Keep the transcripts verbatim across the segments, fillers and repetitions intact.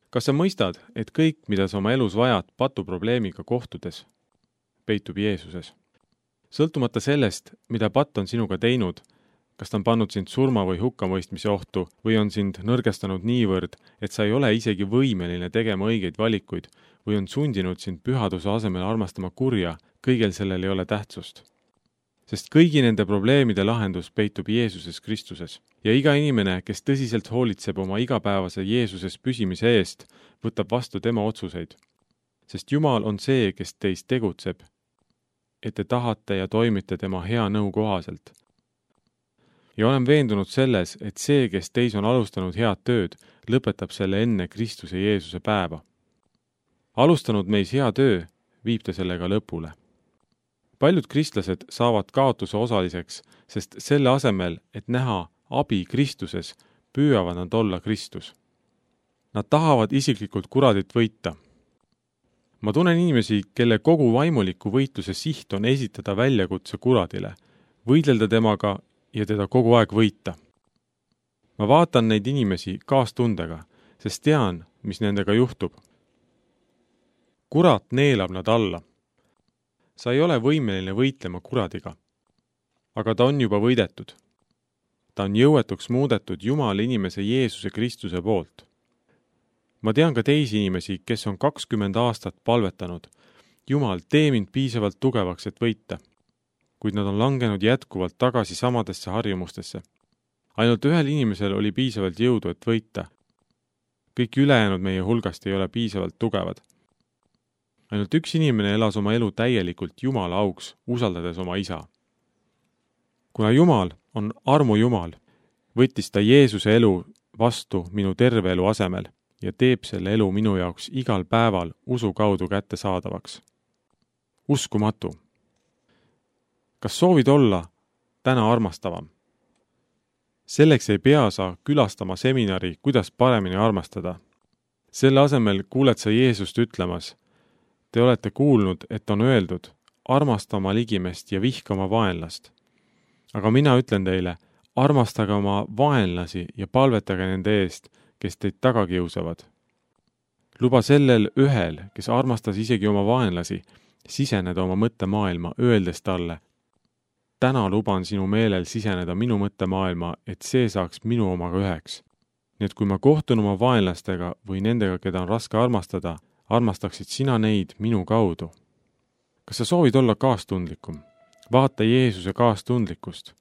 Kas sa mõistad, et kõik, mida sa oma elus vajad patuprobleemiga kohtudes, peitub Jeesuses? Sõltumata sellest, mida patt on sinuga teinud, kas ta on pannud sind surma või hukkamõistmise ohtu või on sind nõrgestanud niivõrd, et sa ei ole isegi võimeline tegema õigeid valikuid või on sundinud sind pühaduse asemel armastama kurja, kõigel sellel ei ole tähtsust. Sest kõigi nende probleemide lahendus peitub Jeesuses Kristuses. Ja iga inimene, kes tõsiselt hoolitseb oma igapäevase Jeesuses püsimise eest, võtab vastu tema otsuseid. Sest Jumal on see, kes teist tegutseb, et te tahate ja toimite tema hea nõu kohaselt. Ja olen veendunud selles, et see, kes teis on alustanud head tööd, lõpetab selle enne Kristuse Jeesuse päeva. Alustanud meis hea töö, viib ta sellega lõpule. Paljud kristlased saavad kaotuse osaliseks, sest selle asemel, et näha abi Kristuses, püüavad nad olla Kristus. Nad tahavad isiklikult kuradit võita. Ma tunnen inimesi, kelle kogu vaimuliku võitluse siht on esitada väljakutse kuradile, võidelda temaga ja teda kogu aeg võita. Ma vaatan neid inimesi kaastundega, sest tean, mis nendega juhtub. Kurat neelab nad alla. Sa ei ole võimeline võitlema kuradiga, aga ta on juba võidetud. Ta on jõuetuks muudetud Jumala inimese Jeesuse Kristuse poolt. Ma tean ka teisi inimesi, kes on kakskümmend aastat palvetanud. Jumal, tee mind piisavalt tugevaks, et võita. Kuid nad on langenud jätkuvalt tagasi samadesse harjumustesse. Ainult ühel inimesel oli piisavalt jõudu, et võita. Kõik ülejäänud meie hulgast ei ole piisavalt tugevad. Ainult üks inimene elas oma elu täielikult Jumala auks, usaldades oma isa. Kuna Jumal on armu Jumal, võttis ta Jeesuse elu vastu minu terve elu asemel ja teeb selle elu minu jaoks igal päeval usu kaudu kätte saadavaks. Uskumatu. Kas soovid olla täna armastavam? Selleks ei pea sa külastama seminari, kuidas paremini armastada. Selle asemel kuuled sa Jeesust ütlemas, te olete kuulnud, et on öeldud, armasta oma ligimest ja vihka oma vaenlast. Aga mina ütlen teile, armastage oma vaenlasi ja palvetage nende eest, kes teid taga kiusavad. Luba sellel ühel, kes armastas isegi oma vaenlasi, siseneda oma mõttemaailma, öeldes talle, täna luban sinu meelel siseneda minu mõttemaailma, et see saaks minu omaga üheks. Nii et kui ma kohtun oma vaenlastega või nendega, keda on raske armastada, armastaksid sina neid minu kaudu. Kas sa soovid olla kaastundlikum? Vaata Jeesuse kaastundlikkust.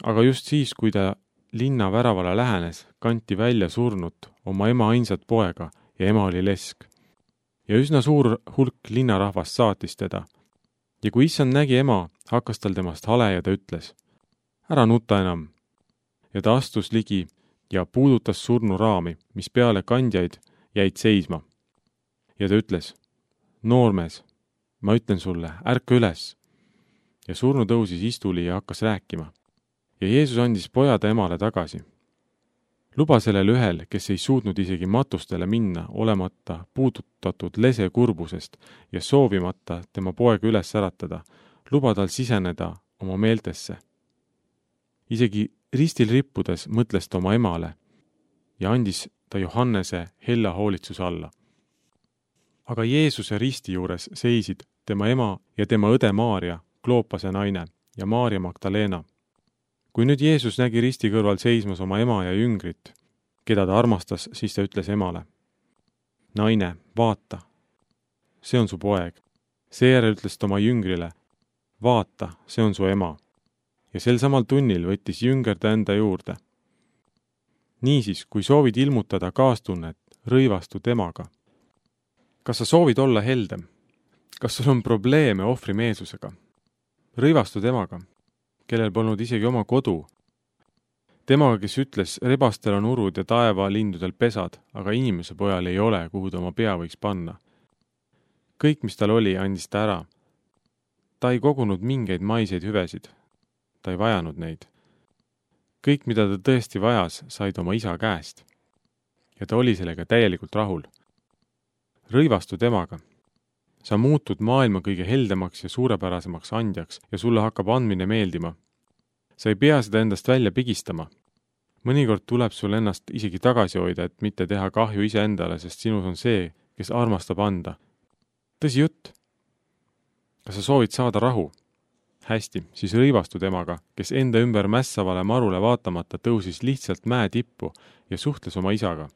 Aga just siis, kui ta linna väravale lähenes, kanti välja surnut oma ema ainsat poega ja ema oli lesk. Ja üsna suur hulk linnarahvast saatis teda. Ja kui issand nägi ema, hakkas tal temast hale ja ta ütles, ära nuta enam. Ja ta astus ligi ja puudutas surnu raami, mis peale kandjaid jäid seisma. Ja ta ütles, noormees, ma ütlen sulle, ärka üles. Ja surnu tõusis istuli ja hakkas rääkima. Ja Jeesus andis poja ta emale tagasi. Luba sellel ühel, kes ei suutnud isegi matustele minna, olemata puudutatud lese kurbusest ja soovimata tema poega üles äratada, luba tal siseneda oma meeltesse. Isegi ristil rippudes mõtles ta oma emale ja andis ta Johannese hella hoolitsuse alla. Aga Jeesuse risti juures seisid tema ema ja tema õde Maaria, Kloopase naine ja Maaria Magdalena. Kui nüüd Jeesus nägi risti kõrval seismas oma ema ja jüngrit, keda ta armastas, siis ta ütles emale, naine, vaata, see on su poeg. Seejärel ütles ta oma jüngrile, vaata, see on su ema. Ja sel samal tunnil võttis jünger ta enda juurde. Niisiis, kui soovid ilmutada kaastunnet, rõivastu temaga. Kas sa soovid olla heldem? Kas sul on probleeme ohvrimeelsusega? Rõivastu temaga, kellel polnud isegi oma kodu. Temaga, kes ütles, rebastel on urud ja taeva lindudel pesad, aga inimese pojal ei ole, kuhu ta oma pea võiks panna. Kõik, mis tal oli, andis ta ära. Ta ei kogunud mingeid maiseid hüvesid. Ta ei vajanud neid. Kõik, mida ta tõesti vajas, said oma isa käest. Ja ta oli sellega täielikult rahul. Rõivastu temaga. Sa muutud maailma kõige heldemaks ja suurepärasemaks andjaks ja sulle hakkab andmine meeldima. Sa ei pea seda endast välja pigistama. mõnikord tuleb sul ennast isegi tagasi hoida, et mitte teha kahju iseendale, sest sinus on see, kes armastab anda. Tõsi jutt. Kas sa soovid saada rahu? Hästi, siis rõivastu temaga, kes enda ümber mässavale marule vaatamata tõusis lihtsalt mäe tippu ja suhtles oma isaga.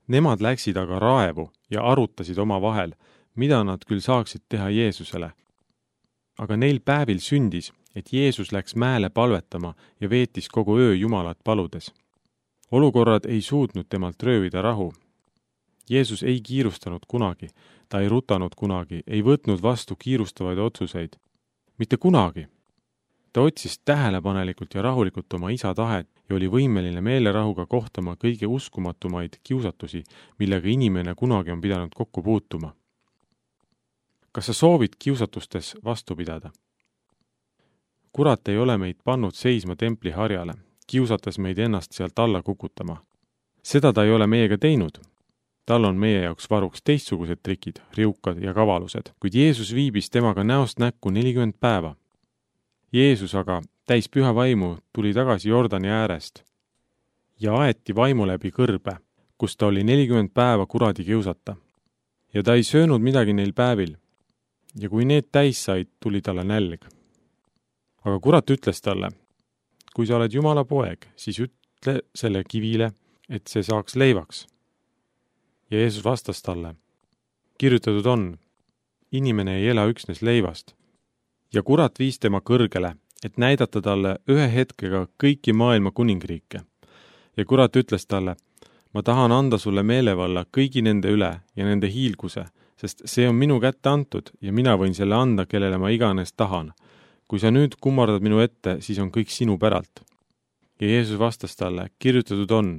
Nemad läksid aga raevu ja arutasid oma vahel, mida nad küll saaksid teha Jeesusele. Aga neil päevil sündis, et Jeesus läks mäele palvetama ja veetis kogu öö Jumalat paludes. Olukorrad ei suutnud temalt röövida rahu. Jeesus ei kiirustanud kunagi, ta ei rutanud kunagi, ei võtnud vastu kiirustavaid otsuseid. Mitte kunagi. Ta otsis tähelepanelikult ja rahulikult oma isa tahet ja oli võimeline meelerahuga kohtama kõige uskumatumaid kiusatusi, millega inimene kunagi on pidanud kokku puutuma. Kas sa soovid kiusatustes vastu pidada? Kurat ei ole meid pannud seisma templi harjale, kiusates meid ennast sealt alla kukutama. Seda ta ei ole meiega teinud. Tal on meie jaoks varuks teistsugused trikid, riukad ja kavalused, kuid Jeesus viibis temaga näost näkku nelikümmend päeva. Jeesus aga, täis püha vaimu, tuli tagasi Jordani äärest ja aeti vaimu läbi kõrbe, kus ta oli nelikümmend päeva kuradi kiusata. Ja ta ei söönud midagi neil päevil. Ja kui need täis said, tuli talle nälg. Aga kurat ütles talle, kui sa oled Jumala poeg, siis ütle selle kivile, et see saaks leivaks. Ja Jeesus vastas talle, kirjutatud on, inimene ei ela üksnes leivast. Ja kurat viis tema kõrgele, et näidata talle ühe hetkega kõiki maailma kuningriike. Ja kurat ütles talle, ma tahan anda sulle meelevalla kõigi nende üle ja nende hiilguse, sest see on minu kätte antud ja mina võin selle anda, kellele ma iganes tahan. Kui sa nüüd kummardad minu ette, siis on kõik sinu päralt. Ja Jeesus vastas talle, kirjutatud on,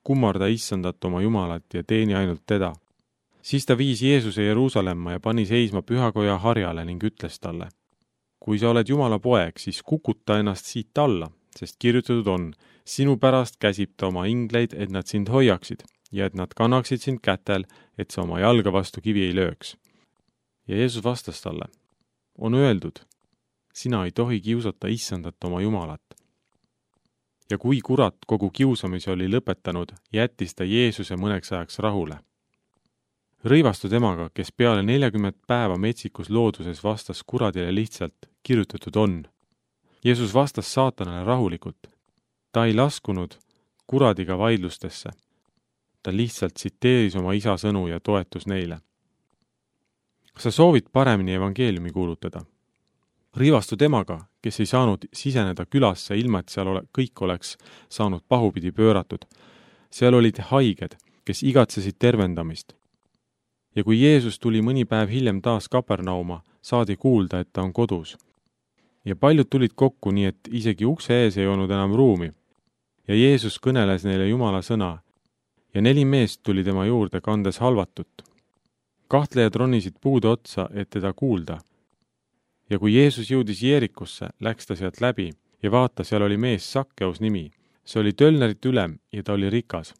kummarda issandat oma Jumalat ja teeni ainult teda. Siis ta viis Jeesuse Jeruusalemma ja pani seisma pühakoja harjale ning ütles talle, kui sa oled Jumala poeg, siis kukuta ennast siit alla, sest kirjutatud on, sinu pärast käsib ta oma ingleid, et nad sind hoiaksid ja et nad kannaksid sind kätel, et sa oma jalga vastu kivi ei lööks. Ja Jeesus vastas talle, on öeldud, sina ei tohi kiusata issandat oma Jumalat. Ja kui kurat kogu kiusamise oli lõpetanud, jättis ta Jeesuse mõneks ajaks rahule. Rõivastu temaga, kes peale neljakümmet päeva metsikus looduses vastas kuradile lihtsalt, kirjutatud on. Jeesus vastas saatanale rahulikult. Ta ei laskunud kuradiga vaidlustesse. Ta lihtsalt tsiteeris oma isa sõnu ja toetus neile. Kas sa soovid paremini evangeeliumi kuulutada? Rõivastu temaga, kes ei saanud siseneda külasse, ilma et seal ole, kõik oleks saanud pahupidi pööratud. Seal olid haiged, kes igatsesid tervendamist. Ja kui Jeesus tuli mõni päev hiljem taas Kapernauma, saadi kuulda, et ta on kodus. Ja paljud tulid kokku, nii et isegi ukse ees ei olnud enam ruumi. Ja Jeesus kõneles neile Jumala sõna. Ja neli meest tuli tema juurde kandes halvatut. Kahtlejad ronisid puude otsa, et teda kuulda. Ja kui Jeesus jõudis Jeerikusse, läks ta sealt läbi ja vaata, seal oli mees Sakkeus nimi. See oli tölnerit ülem ja ta oli rikas.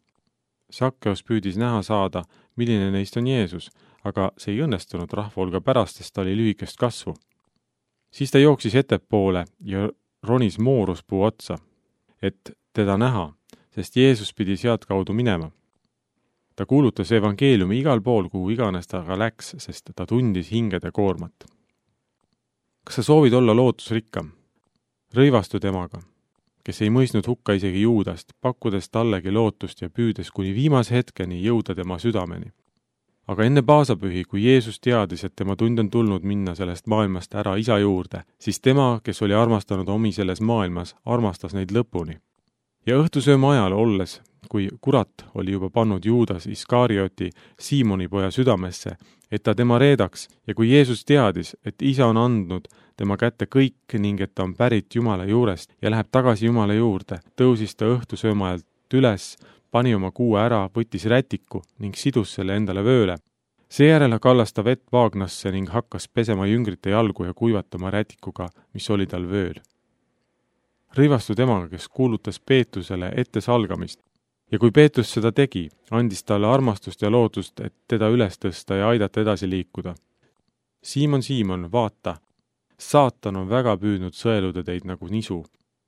Sakkeus püüdis näha saada, milline neist on Jeesus, aga see ei õnnestunud rahvahulga pärast, sest ta oli lühikest kasvu. Siis ta jooksis ettepoole ja ronis mooruspuu otsa, et teda näha, sest Jeesus pidi sealt kaudu minema. Ta kuulutas evangeeliumi igal pool, kuhu iganes ta aga läks, sest ta tundis hingede koormat. Kas sa soovid olla lootusrikkam? Rõivastu temaga, kes ei mõistnud hukka isegi Juudast, pakkudes tallegi lootust ja püüdes kuni viimase hetkeni jõuda tema südameni. Aga enne paasapühi, kui Jeesus teadis, et tema tund on tulnud minna sellest maailmast ära isa juurde, siis tema, kes oli armastanud omi selles maailmas, armastas neid lõpuni. Ja õhtusööma ajal olles, kui kurat oli juba pannud Juudas Iskarioti Siimoni poja südamesse, et ta tema reedaks, ja kui Jeesus teadis, et isa on andnud tema kätte kõik ning et ta on pärit Jumala juurest ja läheb tagasi Jumala juurde, tõusis ta õhtusööma ajalt üles, pani oma kuue ära, võttis rätiku ning sidus selle endale vööle. Seejärel kallas ta vett vaagnasse ning hakkas pesema jüngrite jalgu ja kuivatama rätikuga, mis oli tal vööl. Rõivastu temaga, kes kuulutas Peetusele ette salgamist. Ja kui Peetus seda tegi, andis talle armastust ja lootust, et teda üles tõsta ja aidata edasi liikuda. Siimon, Siimon, vaata, saatan on väga püüdnud sõeluda teid nagu nisu.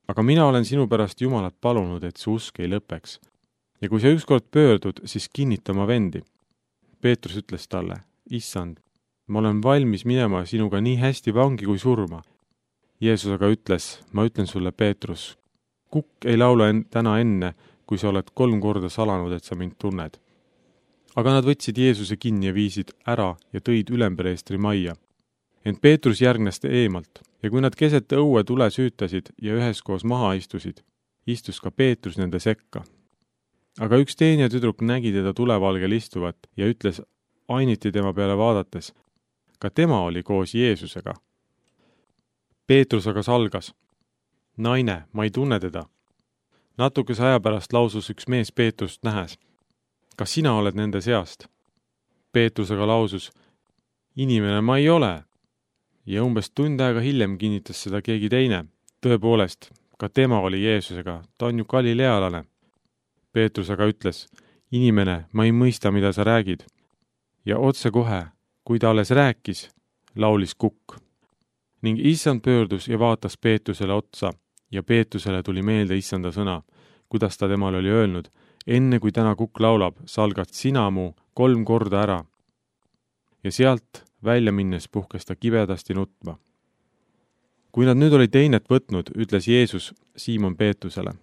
aga mina olen sinu pärast Jumalat palunud, et su usk ei lõpeks. Ja kui sa ükskord pöördud, siis kinnita oma vendi. Peetrus ütles talle, issand, ma olen valmis minema sinuga nii hästi vangi kui surma. Jeesus aga ütles, ma ütlen sulle, Peetrus, kukk ei laula en- täna enne, kui sa oled kolm korda salanud, et sa mind tunned. Aga nad võtsid Jeesuse kinni ja viisid ära ja tõid ülempreestri majja. Ent Peetrus järgnes eemalt ja kui nad keset õue tule süütasid ja üheskoos maha istusid, istus ka Peetrus nende sekka. Aga üks teine tüdruk nägi teda tulevalgel istuvat ja ütles ainiti tema peale vaadates, ka tema oli koos Jeesusega. Peetrus aga salgas, naine, ma ei tunne teda. Natukese aja pärast lausus üks mees Peetrust nähes, kas sina oled nende seast? Peetrus aga lausus, inimene ma ei ole. Ja umbes tund aega hiljem kinnitas seda keegi teine. Tõepoolest, ka tema oli Jeesusega, ta on ju galilealane. Peetrus aga ütles, inimene, ma ei mõista, mida sa räägid. Ja otse kohe, kui ta alles rääkis, laulis kukk. Ning issand pöördus ja vaatas Peetrusele otsa ja Peetrusele tuli meelde issanda sõna, kuidas ta temale oli öelnud, enne kui täna kukk laulab, salgad sina mu kolm korda ära. Ja sealt välja minnes puhkes ta kibedasti nutma. Kui nad nüüd olid teinet võtnud, ütles Jeesus Siimon Peetrusele,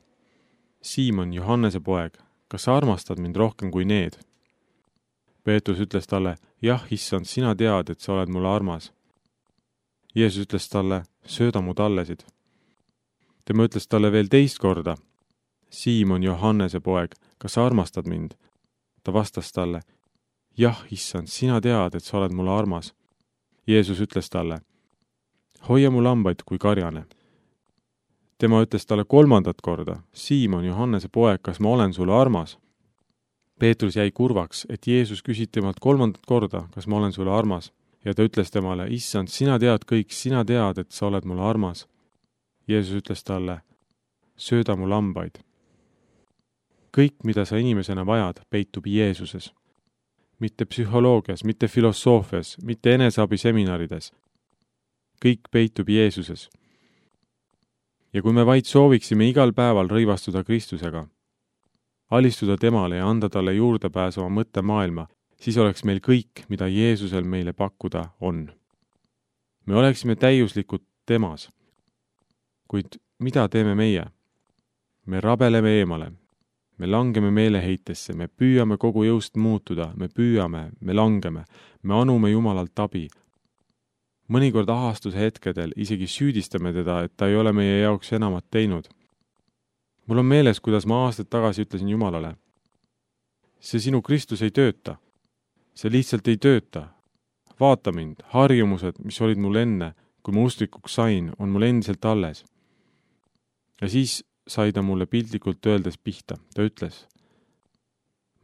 Siimon, Johannese poeg, kas sa armastad mind rohkem kui need? Peetrus ütles talle, jah, issand, sina tead, et sa oled mulle armas. Jeesus ütles talle, sööda mu tallesid. Tema ütles talle veel teist korda, Siimon, Johannese poeg, kas sa armastad mind? Ta vastas talle, jah, issand, sina tead, et sa oled mulle armas. Jeesus ütles talle, hoia mu lambaid kui karjane. Tema ütles talle kolmandat korda, Siimon, Johannese poeg, kas ma olen sulle armas? Peetrus jäi kurvaks, et Jeesus küsid temalt kolmandat korda, kas ma olen sulle armas, ja ta ütles temale, issand, sina tead kõik, sina tead, et sa oled mulle armas. Jeesus ütles talle, sööda mu lambaid. Kõik, mida sa inimesena vajad, peitub Jeesuses. Mitte psühholoogias, mitte filosoofias, mitte eneseabiseminarides. Kõik peitub Jeesuses. Ja kui me vaid sooviksime igal päeval rõivastuda Kristusega, alistuda temale ja anda talle juurdepääs oma mõttemaailma, siis oleks meil kõik, mida Jeesusel meile pakkuda on. Me oleksime täiuslikud temas. Kuid mida teeme meie? Me rabeleme eemale. Me langeme meeleheitesse, me püüame kogu jõust muutuda, me püüame, me langeme, me anume Jumalalt abi. Mõnikord ahastuse hetkedel isegi süüdistame teda, et ta ei ole meie jaoks enamat teinud. Mul on meeles, kuidas ma aastaid tagasi ütlesin Jumalale. See sinu Kristus ei tööta. See lihtsalt ei tööta. Vaata mind, harjumused, mis olid mul enne, kui ma ustrikuks sain, on mul endiselt alles. Ja siis sai ta mulle piltlikult öeldes pihta. Ta ütles,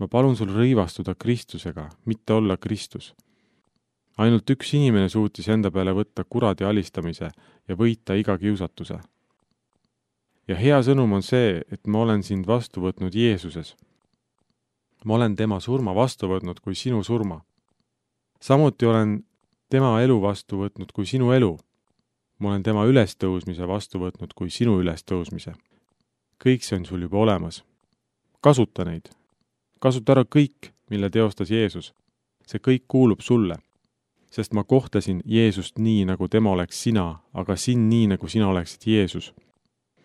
ma palun sul rõivastuda Kristusega, mitte olla Kristus. Ainult üks inimene suutis enda peale võtta kuradi alistamise ja võita iga kiusatuse. Ja hea sõnum on see, et ma olen sind vastu võtnud Jeesuses. Ma olen tema surma vastu võtnud kui sinu surma. Samuti olen tema elu vastu võtnud kui sinu elu. Ma olen tema ülestõusmise vastu võtnud kui sinu ülestõusmise. Kõik see on sul juba olemas. Kasuta neid. Kasuta ära kõik, mille teostas Jeesus. See kõik kuulub sulle. Sest ma kohtasin Jeesust nii, nagu tema oleks sina, aga sind nii, nagu sina oleksid Jeesus.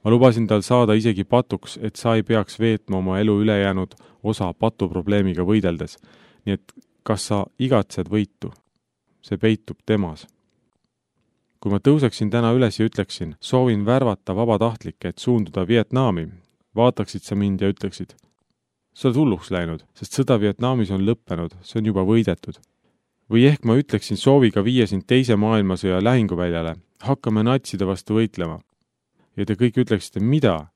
Ma lubasin tal saada isegi patuks, et sa ei peaks veetma oma elu ülejäänud osa patuprobleemiga võideldes. Nii et kas sa igatsed võitu? See peitub temas. Kui ma tõuseksin täna üles ja ütleksin, soovin värvata vabatahtlikke, et suunduda Vietnami, vaataksid sa mind ja ütleksid, sa oled hulluks läinud, sest sõda Vietnamis on lõppenud, see on juba võidetud. Või ehk ma ütleksin sooviga viia sind teise maailmasõja lähinguväljale, hakkame natside vastu võitlema. Ja te kõik ütleksite, mida?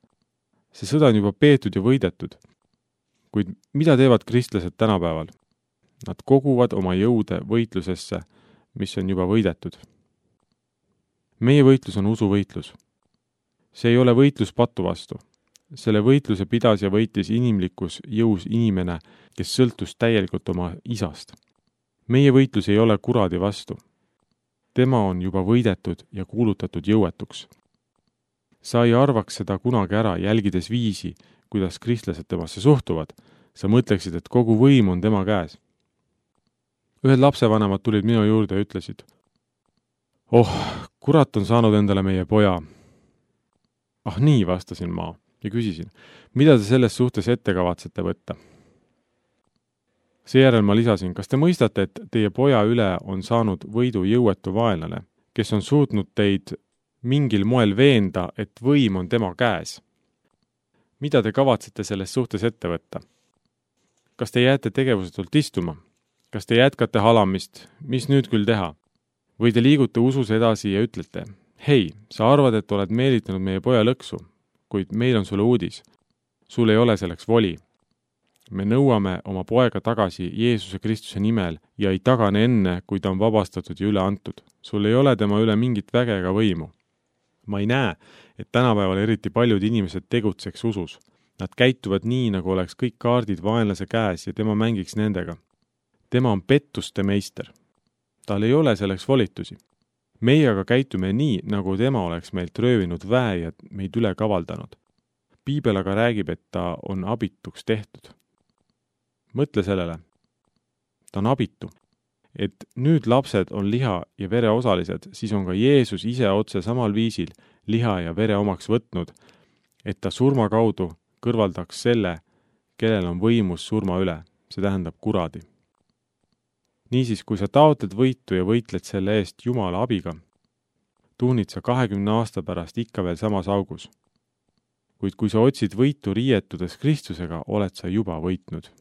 See sõda on juba peetud ja võidetud. Kuid mida teevad kristlased tänapäeval? Nad koguvad oma jõude võitlusesse, mis on juba võidetud. Meie võitlus on usuvõitlus. See ei ole võitlus patu vastu. Selle võitluse pidas ja võitis inimlikus jõus inimene, kes sõltus täielikult oma isast. Meie võitlus ei ole kuradi vastu. Tema on juba võidetud ja kuulutatud jõuetuks. sa ei arvaks seda kunagi ära, jälgides viisi, kuidas kristlased temasse suhtuvad. Sa mõtleksid, et kogu võim on tema käes. Ühed lapsevanemad tulid minu juurde ja ütlesid, oh, kurat on saanud endale meie poja. Ah nii, vastasin ma ja küsisin, mida te selles suhtes ette kavatsete võtta? Seejärel ma lisasin, kas te mõistate, et teie poja üle on saanud võidu jõuetu vaenlane, kes on suutnud teid mingil moel veenda, et võim on tema käes? Mida te kavatsete selles suhtes ette võtta? Kas te jääte tegevusetult istuma? Kas te jätkate halamist? Mis nüüd küll teha? Või te liigute usus edasi ja ütlete, hei, sa arvad, et oled meelitanud meie poja lõksu, kuid meil on sulle uudis. Sul ei ole selleks voli. Me nõuame oma poega tagasi Jeesuse Kristuse nimel ja ei tagane enne, kui ta on vabastatud ja üle antud. Sul ei ole tema üle mingit väge ega võimu. Ma ei näe, et tänapäeval eriti paljud inimesed tegutseks usus. Nad käituvad nii, nagu oleks kõik kaardid vaenlase käes ja tema mängiks nendega. Tema on pettuste meister. Tal ei ole selleks volitusi. Meie aga käitume nii, nagu tema oleks meilt röövinud väe ja meid üle kavaldanud. Piibel aga räägib, et ta on abituks tehtud. Mõtle sellele. Ta on abitu. Et nüüd lapsed on liha ja vere osalised, siis on ka Jeesus ise otse samal viisil liha ja vere omaks võtnud, et ta surma kaudu kõrvaldaks selle, kellel on võimus surma üle, see tähendab kuradi. Niisiis, kui sa taotled võitu ja võitled selle eest Jumala abiga, tuhnid sa kahekümne aasta pärast ikka veel samas augus. Kuid kui sa otsid võitu riietudes Kristusega, oled sa juba võitnud.